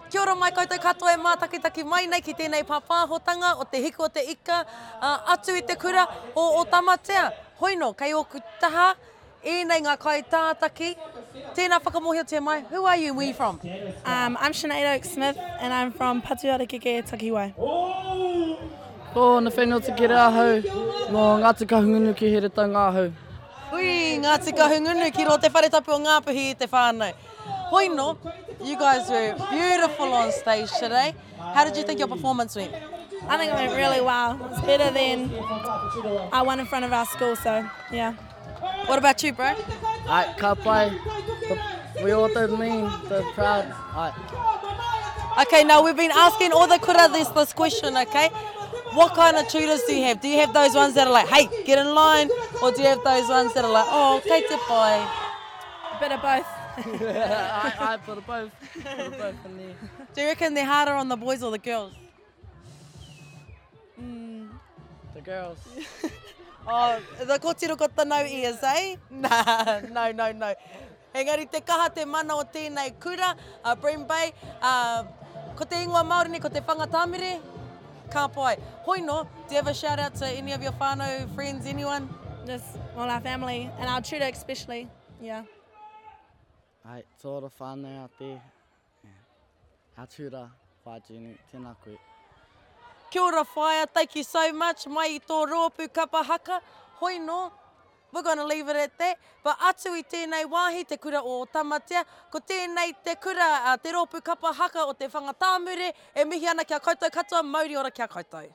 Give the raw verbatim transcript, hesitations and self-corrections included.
Kia ora mai koutou katoa e mātakitaki mai nei ki tēnei pāpāhotanga o te hiku o te ika uh, atu i te kura o, o Tamatea. Hoino, kei ōku taha, ēnei ngā kaitātaki. Tēnā whakamōhiotia mai, who are you and where you from? Um, I'm Sinead Oak Smith and I'm from Patuharakeke Takiwai. Ko Nathaniel Te Kere ahau, no Ngāti Kahungunu ki Heretaunga ahau. Hui, Ngāti Kahungunu ki rō te whare tapu o Ngāpuhi i te whānau. Hoino, you guys were beautiful on stage today. How did you think your performance went? I think it went really well. It's better than I won in front of our school, so yeah. What about you, bro? Ai, ka pai, the, we all the mean, the proud. Ai. Okay, now we've been asking all the kura this, this question, okay? What kind of tutors do you have? Do you have those ones that are like, hey, get in line? Or do you have those ones that are like, oh, kei te pai? A bit of both. I, I put it both, put it both in there. Do you reckon they're harder on the boys or the girls? The girls. Oh, the kōtiro ko tanau ears, eh? Nah, no, no, no. Engari te kaha te mana o tēnei kura, uh, Bream Bay, uh, ko te ingoa Māori nei, ko te Whangatāmere, ka pai. Hoino, do you have a shout out to any of your whānau, friends, anyone? Just all our family and our tutor especially. Yeah. Ai, to ora whānau out there. Yeah. Our tutor, Whaea Jenny, tēnā koe. Kia ora whaea, thank you so much. Mai i tō rōpū kapa haka. Hoino, we're gonna leave it at that. But atu i tēnei wāhi, te kura o Tamatea, ko tēnei te kura, uh, te rōpū kapa haka o te Whangatāmure, e mihi ana kia koutou katoa, mauri ora kia koutou.